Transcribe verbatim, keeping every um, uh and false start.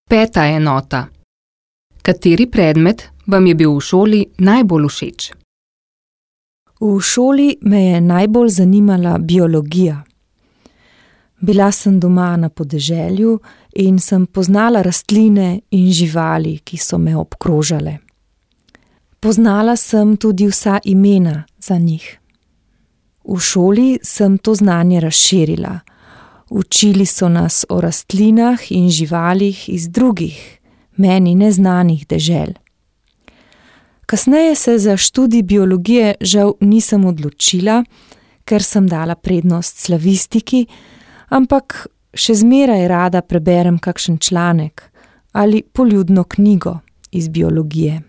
Peta enota. Kateri predmet vam je bil v šoli najbolj všeč? V šoli me je najbolj zanimala biologija. Bila sem doma na podeželju in sem poznala rastline in živali, ki so me obkrožale. Poznala sem tudi vsa imena za njih. V šoli sem to znanje razširila. Učili so nas o rastlinah in živalih iz drugih, meni neznanih dežel. Kasneje se za študij biologije žal nisem odločila, ker sem dala prednost slavistiki, ampak še zmeraj rada preberem kakšen članek ali poljudno knjigo iz biologije.